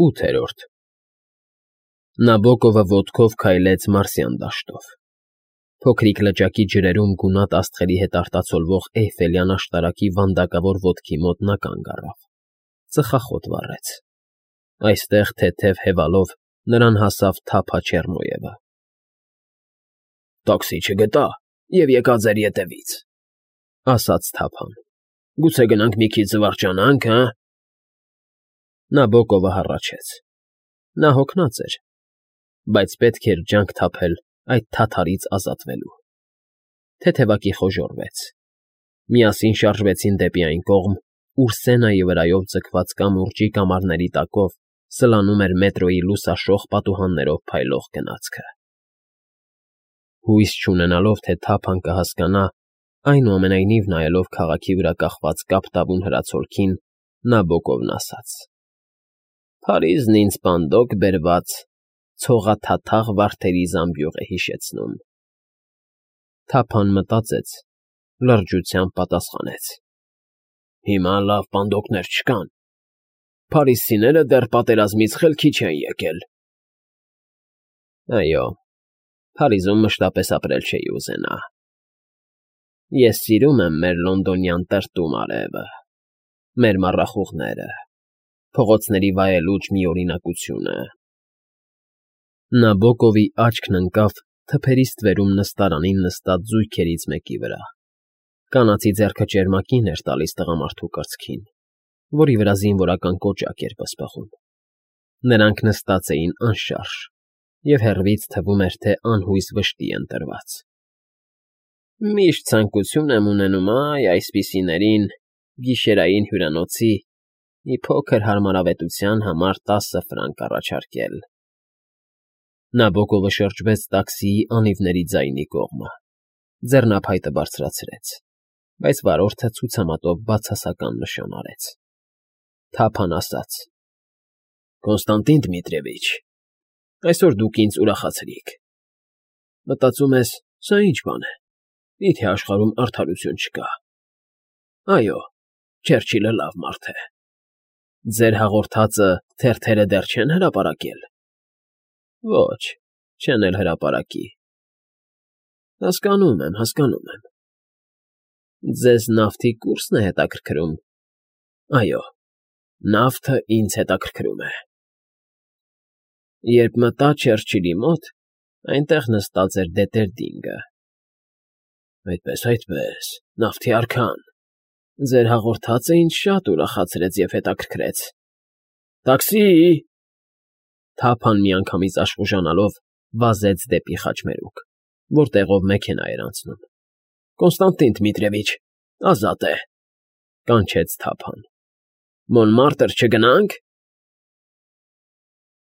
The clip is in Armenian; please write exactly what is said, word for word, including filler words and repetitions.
ՈՒԹԵՐՈՐԴ Նաբոկովը ոտքով քայլեց Մարսյան դաշտով. փոքրիկ լճակի ջրերում գունատ աստղերի հետ արտացոլվող Էյֆելյան աշտարակի վանդակավոր ոտքի մոտ նա կանգ առավ, ծխախոտ վառեց. այստեղ թեթև հևալով նրան հասավ Թափա Չեռնոևը։ ֊ Տաքսի չգտա և եկա ձեր ետևից, ֊ ասաց Թափան։ ֊ Գուցե գնանք մի քիչ զվարճանանք, հը՞։ Նաբոկովը հառաչեց. նա հոգնած էր, բայց պետք էր ջանք թափել այդ թաթարից ազատվելու։ Թեթևակի խոժոռվեց։ Միասին շարժվեցին դեպի այն կողմ, ուր Սենայի վրայով ձգված կամուրջի կամարների տակով սլանում էր մետրոյի լուսաշող պատուհաններով փայլող գնացքը։ Հույս չունենալով, թե Թափան կհասկանա, այնուամենայնիվ նայելով քաղաքի վրա կախված կապտավուն հրացոլքին, Նաբոկովն ասաց. ֊ Փարիզն ինձ պանդոկ բերված ցողաթաթախ վարդերի զամբյուղ է հիշեցնում։ Թափան մտածեց, լրջությամբ պատասխանեց. ֊ Հիմա լավ պանդոկներ չկան։ Փարիզցիները դեռ պատերազմից խելքի չեն եկել։ ֊ Այո, Փարիզում մշտապես ապրել չէի ուզենա։ Ես սիրում եմ մեր լոնդոնյան տրտում արևը, մեր մառախուղները, փողոցների վայելուչ միօրինակությունը։ Նաբոկովի աչքն ընկավ թփերի ստվերում նստարանին նստած զույգերից մեկի վրա։ Կանացի ձեռքը ճերմակին էր տալիս տղամարդու կրծքին, որի վրա զինվորական կոճակ էր պսպղում։ Նրանք նստած էին անշարժ, և հեռվից թվում էր, թե անհույս վշտի են տրված։ Միշտ ցանկություն եմ ունենում, այ այսպիսիներին, գիշերային հյուրանոցի մի փոքր հարմարավետության համար տասը ֆրանկ առաջարկել։ Նաբոկովը շրջվեց տաքսիի անիվների ձայնի կողմը, ձեռնափայտը բարձրացրեց, բայց վարորդը ցուցամատով բացասական նշան արեց։ Թափան ասաց. ֊ Կոնստանտին Դմիտրիևիչ, այսօր դուք ինձ ուրախացրիք։ Մտածում ես, սա ի՞նչ բան է, մի՞թե աշխարհում արդարություն չկա։ Այո, Չերչիլը լավ մարդ է։ Ձեր հաղորդածը թերթերը դեռ չեն հրապարակել։ Ոչ, չեն էլ հրապարակի։ Հասկանում եմ, հասկանում եմ։ Ձեզ նավթի կուրսն է հետաքրքրում։ Այո, նավթը ինձ հետաքրքրում է։ Երբ մտա Չերչիլի մոտ, այնտեղ նստած էր Դետերդինգը։ Այդպես, այդպես, նավթի արքան, ձեր հաղորդածը ինձ շատ ուրախացրեց և հետաքրքրեց։ Տաքսի՜… Թափան միանգամից աշխուժանալով վազեց դեպի խաչմերուկ, որտեղով մեքենա էր անցնում։ ֊ Կոնստանտին Դմիտրիևիչ, ազատ է, ֊ կանչեց Թափան։ ֊ Մոնմարտր չգնա՞նք։